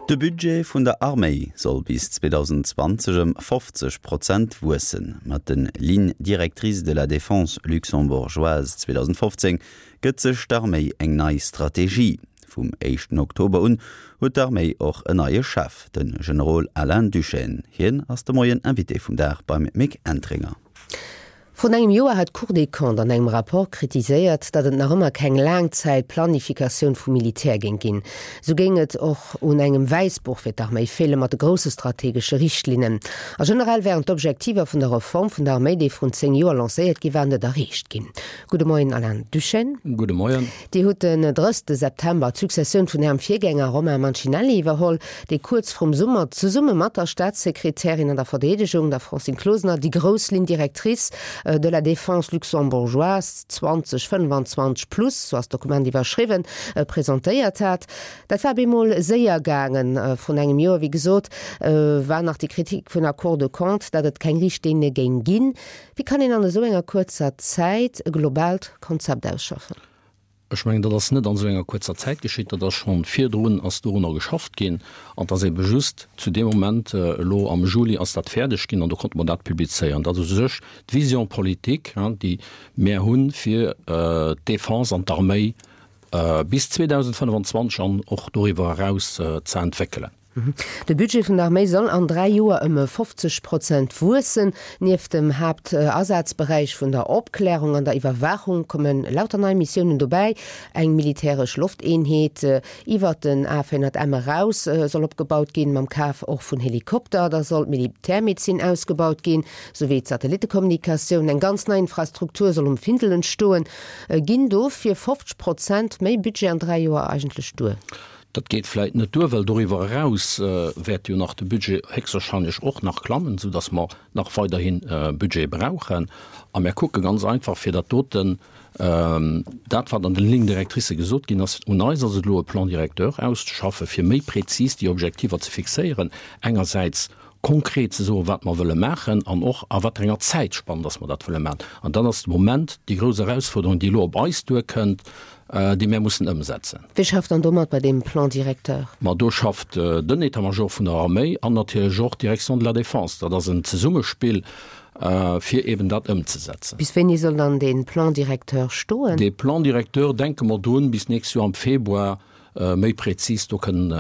De Budget vun der Arméi soll bis 2020 ëm 50 Prozent wuessen. Mat de Lignes directrices de la défense luxembourgeoise 2015 gëtt sech d'Arméi eng nei Strategie. Vum éischten Oktober un huet d'Arméi och en neie Chef, de Generol Alain Duschène. Hien ass de Moien Invité vum Dag beim Mick Entringer. Vrun engem Joer hat d'Cour des Comptes an engem Rapport kritiséiert, datt et nach ëmmer keng Laangzäit-Planifikatioun vum Militär géing ginn. Esou géing et och un engem Wäissbuch fir d'Arméi feele mat de grousse strategesche Richtlinnen. A generell wären d'Objektiver vun der Reform vun der Arméi, déi vrun 10 Joer lancéiert gi war, net erreecht ginn. Gudde Moien Alain Duschène. Gudde Moien. Dir hutt den 30 September d'Successioun vun Ärem Virgänger Romain Mancinelli iwwerholl, dee kuerz vrum Summer zesumme mat der Staatssekretärin an der Verdeedegung, der Francine Closener, déi grouss Ligne directrice de la défense luxembourgeoise 2025 plus, sou ass d'Dokument iwwerschriwwen, presentéiert hat. Dat war bemol séier gaangen. Vrun engem Joer, wéi gesot, war nach déi Kritik vun der Cour de Comptes, datt et keng Richtlinne géing ginn. Wéi kann een an esou enger kuerzer Zäit e globaalt Konzept ausschaffen? Ech mengen, dat ass net an esou enger kuerzer Zäit geschitt. Dat ass scho virdrun ass dorunner geschafft ginn. An et ass ebe just zu deem Moment, elo am Juli ass dat fäerdeg ginn an do konnte mer dat publizéieren. Dat ass u sech d'Vision politique, déi mär hunn, fir d'Défense an d'Arméi bis 2025 an och doriwwer eraus ze entwéckelen. De Budget vun der Arméi soll an 3 Joer ëm 50 Prozent wuessen. Nieft dem Haaptasazberäich vun der Opklärung an der Iwwerwaachung komme lauter nei Missiounen dobäi. Eng militäresch Lofteenheet iwwert den A400M eraus soll opgebaut ginn, mam Kaf och vun Helikopter. Da soll d'Militärmedezin ausgebaut ginn, souwéi d'Satellittekommunikatioun. Eng ganz nei Infrastruktur soll um Findel entstoen. Ginn dofir 50 Prozent méi Budget an 3 Joer eigentlech duer? Dat geet vläit net duer, well doriwwer eraus wäert jo nach de Budget héchstwahrscheinlech och nach klammen, soudass mer nach weiderhi Budget brauchen. A mir kucke ganz einfach, fir dat doten, dat wat an den Lignes directrices gesot ginn ass, un eis ass et elo e Plan directeur auszeschaffen, fir méi prezis déi Objektiver ze fixéieren, engersäits konkret ze soen, wat mer wëlle maachen an och a wat enger Zäitspann dass mer dat wëlle maachen. An dat ass de Moment déi grouss Erausfuerderung, déi elo op eis duerkënnt, déi mär mussen ëmsetzen. Wie schafft dann domat bei deem Plan directeur? Ma do schafft den État-major vun der Arméi an natierlech och d'Direction de la Défense. Dat ass en Zesummespill, fir eben dat ëmzesetzen. Bis wéini soll dann dee Plan directeur stoen? Dee Plan directeur, denke mer drun, bis d'nächst Joer am Februar méi prezis do kënnen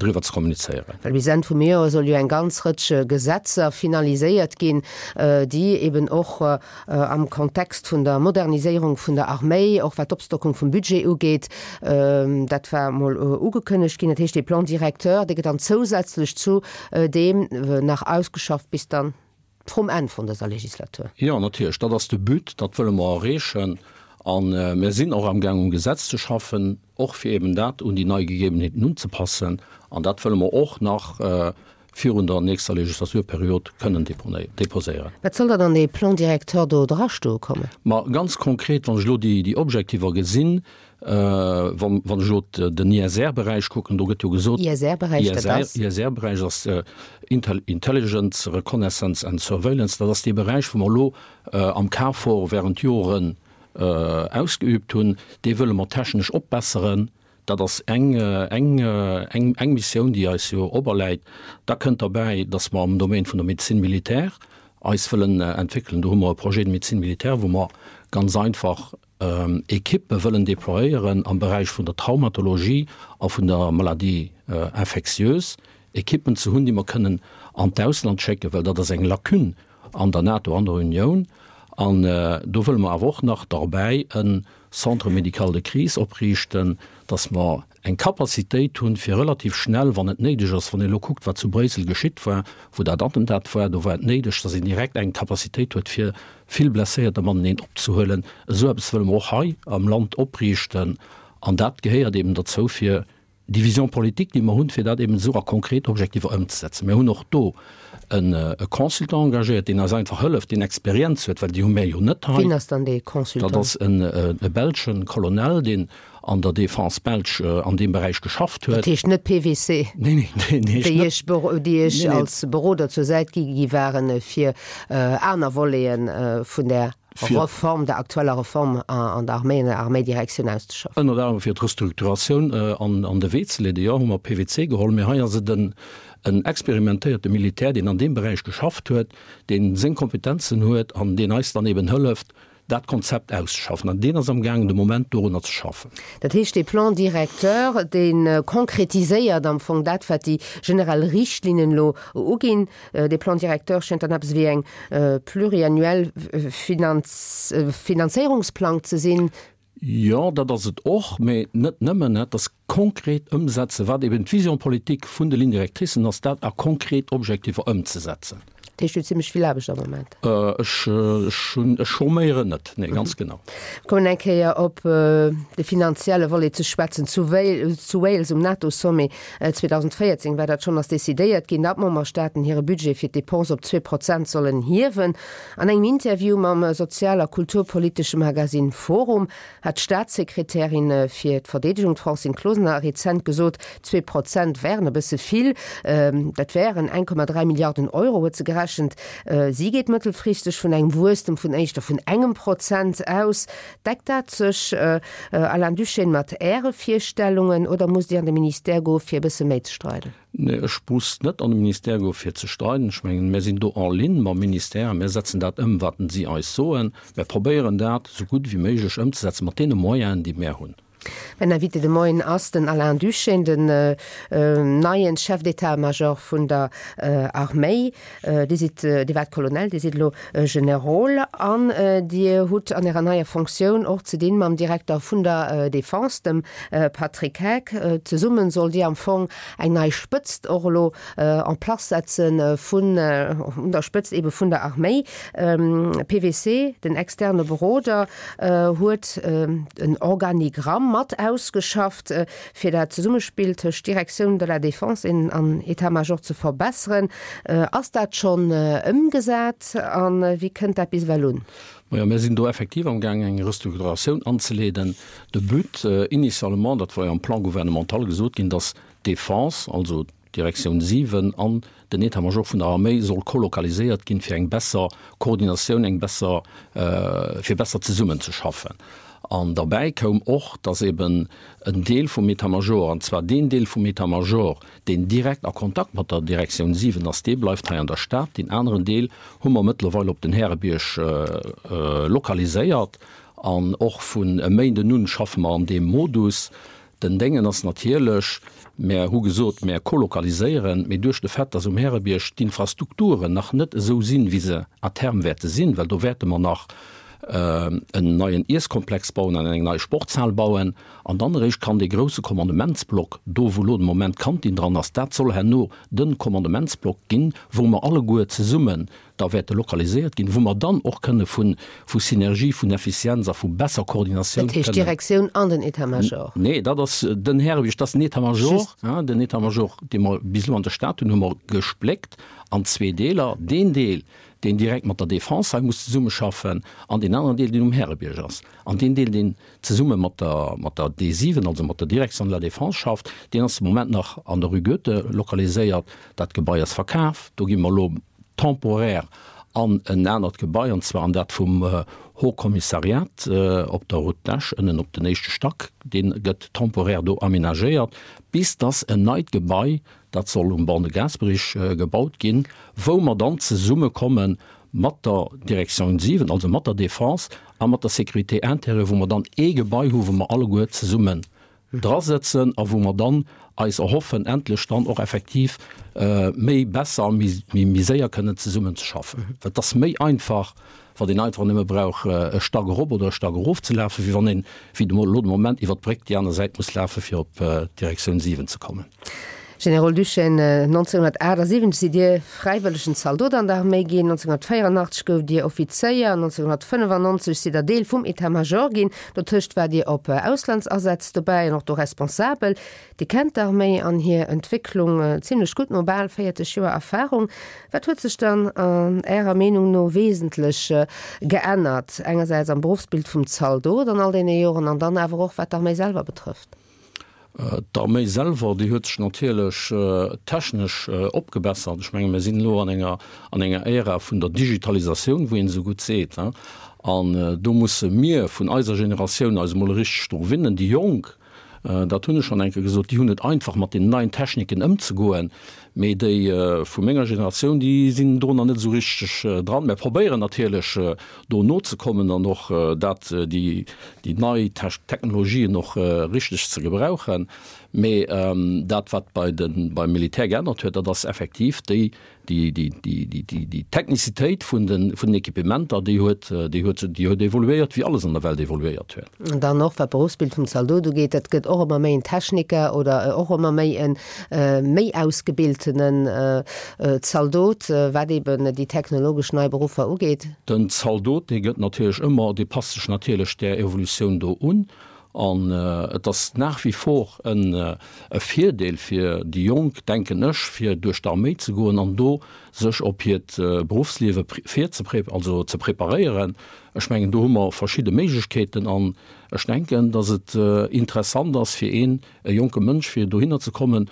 driwwer ze kommunizéieren. Well bis Enn vum Joer soll jo eng ganz Rëtsch Gesetzer finaliséiert ginn, déi eben och am Kontext vun der Moderniséierung vun der Arméi, och wat d'Opstockung vum Budget ugeet, dat war emol ugekënnegt ginn. Dat heescht, dee Plan directeur, dee gëtt dann zousätzlech zu deem nach ausgeschafft bis dann vrum Enn vun dëser Legislatur. Jo, natierlech, dat ass de But, dat wëlle mer erreechen. A mir sinn och amgaang um Gesetz ze schaffen, och fir eben dat un déi nei Gegebenheeten unzepassen. An dat wëlle mer och nach virun der nächster Legislaturperiod kënnen déposéieren. Wat soll dann an dee Plan directeur do drastoe kommen? Ma ganz konkret, wann ech elo déi Objektiver gesinn, wann ech elo den ISR-Beräich kucken, do gëtt jo gesot. ISR-Beräich, dat ass? ISR-Beräich ass Intelligence, Reconnaissance and Surveillance. Dat ass dee Beräich, wou mer elo am KFOR während Joren ausgeübt hunn. Dee wëlle mer technesch opbesseren. Dat ass eng, eng, eng, eng Missioun, déi eis jo operläit. Da kënnt derbäi, dass mer am Domaine vun der Médecine militaire eis wëllen entwéckelen. Do hu mer e Projet de médecine militaire, wou mer ganz einfach Ekippe wëllen déployéieren am Beräich vun der Traumatologie a vun der Maladie infectieuse, Ekippen ze hunn, déi mer kënnen an d'Ausland schécken, well dat ass eng Lacune an der NATO, an der Unioun. An do wëlle mer awer och nach derbäi e Centre médical de crise opriichten, dass mer eng Capacitéit hunn, fir relativ schnell, wann et néideg ass, wann een elo kuckt, wat zu Bréissel geschitt war, wou dat Attentat war, do war et néideg, dass een direkt eng Capacitéit huet, fir vill Blesséierter mateneen opzehuelen. Esou eppes wëlle mer och hei am Land opriichten. An dat gehéiert eben derzou, fir déi Vision politique, déi mer hunn, fir dat eben esou a konkret Objektiver ëmzesetzen. Mir hunn och do e Consultant engagéiert, deen eis einfach hëlleft, deen Experienz huet, well déi hu mär jo net hei. Wien ass dann dee Consultant? Dat ass e belsche Colonel, deen an der Défense belge an deem Beräich geschafft huet. Dat heescht net PwC, Nee, nee, deen heescht déi net. Iech, déi Iech als Beroder zur Säit gi gi waren, fir aner Voleten vun där. Reform, der aktueller Reform an der Arméi, an der Arméidirektioun auszeschaffen. Ënnert anerem fir d'Restrukturatioun an de Wee ze leeden, jo, hu mer PWC geholl. Mee hei ass et en experimentéierte Militär, deen an deem Beräich geschafft huet, dee seng Kompetenzen huet an deen eis dann eben hëlleft, dat Konzept auszeschaffen. An deen ass amgaangen de Moment dorunner ze schaffen. Dat heescht, dee Plan directeur, dee konkretiséiert am Fong dat, wat déi generell Richtlinnen elo uginn. Dee Plan directeur schéngt dann eppes wéi eng pluriannuell Finanzéierungsplang ze sinn. Jo, dat ass et och, mä net nëmmen. Et ass konkret ëmsetzen, wat eben d'Vision politique vun de Lignes directricen ass, dat a konkret Objektiver ëmzesetzen. Dat heescht, Dir hutt zimlech vill Aarbecht am Moment. Ech, ech hunn, ech chôméieren net, nee, ganz genau. Mir kommen eng Kéier op de finanzielle Volet ze schwätzen. Zu zu Wales um NATO-Sommet 2014 war dat schonn, ass decidéiert ginn, datt d'Memberstaaten hire Budget fir d'Depense op 2% sollen hiewen. An engem Interview mam sozial a kulturpolitesche Magasinn Forum hat d'Staatssekretärin fir d'Verdeedegung, d'Francine Closener, rezent gesot, 2% wären e bësse vill. Dat wären 1,3 Milliarden Euro, huet se gerechent. Si geet mëttelfristeg vun engem Wuesstem vun éischter vun engem Prozent aus. Deckt dat sech, Alain Duschène, mat Äre Virstellungen oder musst Dir an de Ministère goe fir e bësse méi ze streiden? Nee, ech muss net an de Ministère goe fir ze streiden. Ech mengen, mär sinn do en ligne mam Ministère. Mär setzen dat ëm, wat si eis soen. Mär probéieren dat esou gutt ewéi méiglech ëmzesetzen mat deene Moyenen, déi mär hunn. Mäin Invité de Moien ass den Alain Duschène, den neien Chef d'état-major vun der Arméi. Dir sidd, Dir waart Colonel, Dir sidd elo Generol an Dir hutt an Ärer neier Fonctioun och ze dinn mam Direkter vun der Defense, dem Patrick Heck. Zesummen sollt Dir am Fong eng nei Spëtzt och elo en place setze vun, un der Spëtzt ebe vun der Arméi. PWC, den externe Beroder, huet en Organigramm mat ausgeschafft, fir dat Zesummespill tëscht Directioun de la Défense an État-major ze verbesseren. Ass dat schonn ëmgesat a wéi kënnt dat bis ewell un? Majo, mir sinn do effektiv amgaang eng Restrukturatioun anzeleeden. De But initialement, dat war jo am Plan gouvernemental gesot ginn, datt d'Défense, also d'Direktioun 7 an den État-major vun der Arméi soll kolokaliséiert ginn, fir eng besser Koordinatioun, eng besser, fir besser zesummenzeschaffen. An derbäi koum och, datt eben en Deel vum État-major, an zwar deen Deel vum État-major, deen direkt a Kontakt mat der Direktioun 7 ass, dee bleift hei an der Stad. Deen aneren Deel hu mer mëttlerweil op den Härebierg lokaliséiert an och vun e Méinden un schaffe mer an deem Modus. Den Déngen ass natierlech, mär hu gesot, mär kolokaliséieren, mee duerch de Fait, dass um Härebierg d'Infrastrukturen nach net esou sinn, wéi se à terme wäerte sinn, well do wäerte mer nach en neien Iesskomplex bauen an eng nei Sportshal bauen, an dann eréischt kann dee grouse Kommandementsblock, do wou elo de Moment d'Kantin dran ass, dat soll herno de Kommandementsblock ginn, wou mer alleguer zesummen da wäerte lokaliséiert ginn, wou mer dann och kënne vu vu Synergie, vun Effizienz a vu besser Koordinatioun Dat heescht kënnen. d'Direktioun an den État-major? Nee, dat ass den Härebierg, dat ass den État-major. Just. Den État-major, dee mer bis elo an der Stad hunn, hu mer gespléckt an zwee Deeler. Deen Deel, deen direkt mat der Defense hei muss zesummeschaffen, an deen aneren Deel, deen um Härebierg ass. An deen Deel, deen zesumme mat der mat der D7, also mat der Direction de la Défense schafft, deen ass de Moment nach an der Rue Goethe lokaliséiert. Dat Gebai ass verkaf. Do gi mer elo temporaire an en anert Gebai, an zwar an dat vum Haut Commissariat op der Route d'Esch, ënnen op den éischte Stack. Dee gëtt temporaire do aménagéiert, bis dass en neit Gebai, dat soll um Ban de Gaasperich gebaut ginn, wou mer dann zesummekomme mat der Direction 7, also mat der Défense a mat der Sécurité intérieure, wou mer dann ee Gebai hu wou mer alleguer zesummen drasëtzen a wou mer dann eis erhoffen, endlech dann och effektiv méi besser a méi séier kënnen zesummen ze schaffen. Well et ass méi einfach, wann een einfach nëmme brauch e Stack erop oder e Stack erof ze lafen, wéi wann een, wéi elo de Moment, iwwer d'Bréck déi aner Säit muss lafen, fir op d'Direktioun 7 ze kommen. Generol Duschène, 1978 sidd Dir fräiwëllegen Zaldot an der Arméi ginn, 1984 gouft Dir Offizéier, 1995 sidd Der Deel vum État-Major ginn. Dotëscht waart Dir op Auslandsasätz dobäi an och do responsabel. Dir kennt d'Arméi an hir Entwécklung zimlech gutt no bal 40 Joer Erfarung. Wat huet sech dann an Ärer Meenung no wesentlech geännert, engersäits am Beruffsbild vum Zaldot an all deene Joren an dann awer och wat d'Arméi selwer betrëfft? D'Arméi selwer, déi huet sech natierlech technesch opgebessert. Ech menge mir sinn elo an enger, an enger Ära vun der Digitalisatioun, wou een esou gutt seet. An do musse mir vun eiser Generatioun eis emol richteg dru gewinnen. Déi Jonk, dat hunn ech schonn eng Kéier gesot, déi hunn et einfach mat deenen neien Techniken ëmzegoen, mee déi vu menger Generatioun, déi sinn do nach net esou richteg dran. Mär probéieren natierlech do nozekommen an och dat, déi nei Technologien och richteg ze gebrauchen. Mee dat, wat bei de, beim Militär geännert huet, dat ass effektiv déi Déi, déi, déi, déi, déi, déi Technizitéit vun den, vun den Equipementer, déi huet, déi huet, déi huet evoluéiert, wéi alles an der Welt evoluéiert huet. An dann och, wat d'Beruffsbild vum Zaldot ugeet, dat gëtt och ëmmer méi en Techniker oder och ëmmer méi e méi ausgebiltenen Zaldot, wat eben déi technologesch nei Beruffer ugeet. Den Zaldot, dee gëtt natierlech ëmmer, dee passt sech natierlech där Evolutioun do un. An et ass nach wie vor e Virdeel fir déi Jonk, denken ech, fir duerch d'Arméi ze goen an do sech op hiert Beruffsliewe virzepré also ze preparéieren. Ech mengen, do hu mer verschidde Méiglechkeeten an ech denken, datt et interessant ass fir een, e jonke Mënsch, fir dohinner ze kommen,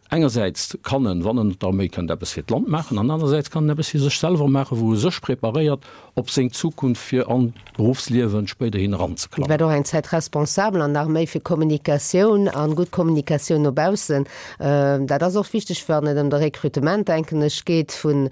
Engersäits kann en, wann en an d'Arméi kënnt, eppes fir d'Land maachen an anersäits kann en eppes fir sech selwer maachen, wou e sech preparéiert op seng Zukunft, fir an d'Beruffsliewen spéiderhin eranzeklammen. Dir waart och eng Zäit Responsabel an der Arméi fir Kommunikatioun an gutt Kommunikatioun no baussen. Dat ass och wichteg, wann et ëm de Rekrutement, denken ech, geet vu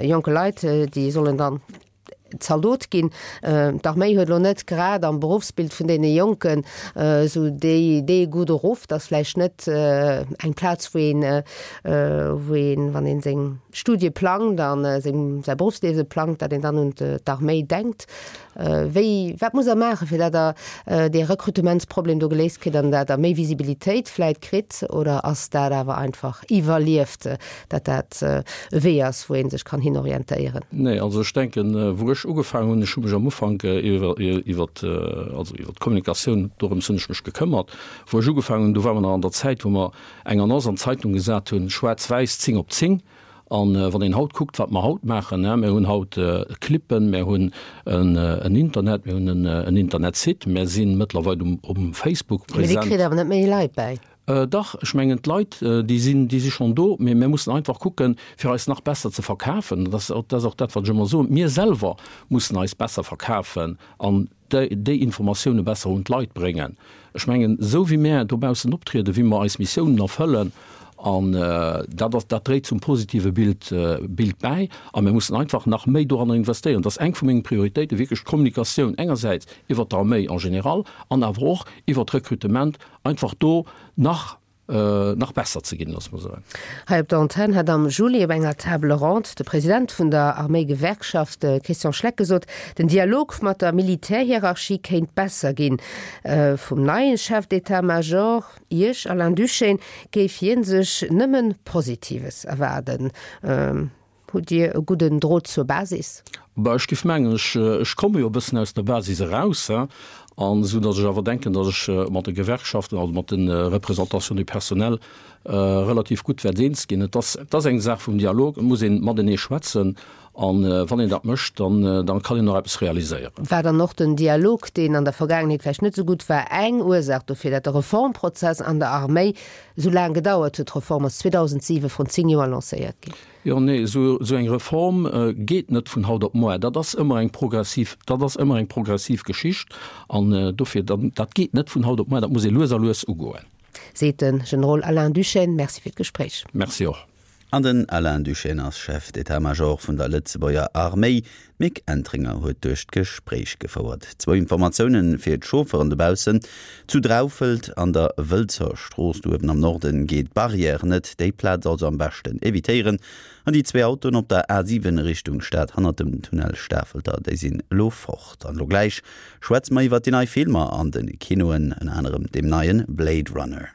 jonke Leit, déi sollen dann Zaldot ginn. D'Arméi huet elo net grad am Beruffsbild vun deene Jonken esou déi dee gudde Ruff. Dat ass vläicht net eng Plaz, wou een, wou een, wann ee seng Studie plangt a seng säi Beruffsliewe plangt, datt een dann un d'Arméi denkt. Wéi, wat musst Der maachen, fir datt Der dee Rekrutementsproblem do geléist kritt an datt Der méi Visibilitéit vläicht kritt? Oder ass dat awer einfach iwwerlieft, dat dat e Wee ass, wou ee sech kann hin orientéieren? Nee, also ech denken, wou ech ugefaangen hunn, ech hu mech am Ufank iwwer, iwwer, also iwwer d'Kommunikatioun, dorëms hunn ech mech gekëmmert. Wou ech ugefaangen hunn, do ware mer nach an der Zäit, wou mer eng Annonce an d'Zeitung gesat hunn, schwaarz-wäiss, 10 op 10. An wann een haut kuckt, wat mer haut maachen, mir hunn haut Clippen, mir hunn en Internet, mir hunn en Internetsite, mir si mëttlerweil um Facebook present. Mee Dir kritt awer net méi Leit bäi. Dach, ech mengen d'Leit, déi sinn, déi si schonn do, mee mir mussen einfach kucken, fir eis nach besser ze verkafen. Dat ass och dat, wat ech ëmmer soen, Mir selwer mussen eis besser verkafen an déi Informatioune besser un d'Leit bréngen. Ech mengen, esou wéi mär dobaussen optrieden, wéi mer eis Missiounen erfëllen, an dat ass, dat dréit zum positive Bild, Bild bäi. A mir mussen einfach nach méi doranner investéieren. Dat ass eng vu mengen Prioritéiten, wierklech d'Kommunikatioun engersäits iwwert d'Arméi en général an awer och iwwert d'Rekrutement, einfach do nach nach besser ze ginn, loosse mer soen. Hei op der Antenn hat am Juli op enger Table ronde de President vun der Arméigewerkschaft, de Christian Schleck, gesot, den Dialog mat der Militärhierarchie kéint besser ginn. Vum neie Chef d'état-major, Iech, Alain Duschène, géif hie sech nëmme Positives erwaarden. Hutt Dir e gudden Drot zur Basis? Bah, ech géif mengen, ech, ech komme jo e bëssen aus der Basis eraus, hein, an esou datt ech awer denken, datt ech mat de Gewerkschaften, also mat de Représentations du personnel relativ gutt wäert eens ginn. Et ass, et ass eng Saach vum Dialog, et muss ee matenee schwätzen an wann een dat mécht, dann, dann kann een och eppes realiséieren. War dann och den Dialog, deen an der Vergaangenheet vläicht net esou gutt war, eng Ursaach dofir, datt de Reformprozess an der Arméi esou laang gedauert huet? D'Reform ass 2007, vrun 10 Joer, lancéiert ginn. Jo, nee, esou eng Reform geet net vun haut op moar. Dat ass ëmmer eng progressiv, dat ass ëmmer eng progressiv Geschicht. An dofir, dat geet net vun haut op moar, dat muss ee lues a lues ugoen. Seet de Generol Alain Duschène. Merci fir d'Gespréich. Merci och. An den Alain Duschène ass Chef d'état-major vun der Lëtzebuerger Arméi. D'Mick Entringer huet duerch d'Gespréich gefouert. Zwou Informatioune fir d'Chaufferen dobaussen, Zu Draufelt an der Wëlzer Strooss do uewen am Norden geet d'Barrière net, déi Plaz also am beschten evitéieren. An déi zwee Autoen op der A7 Richtung Stad hannert dem Tunnel Stafelter, déi sinn elo fort. An elo gläich schwätze mer iwwert déi nei Filmer an de Kinoen, ënner anerem deem neie Blade Runner.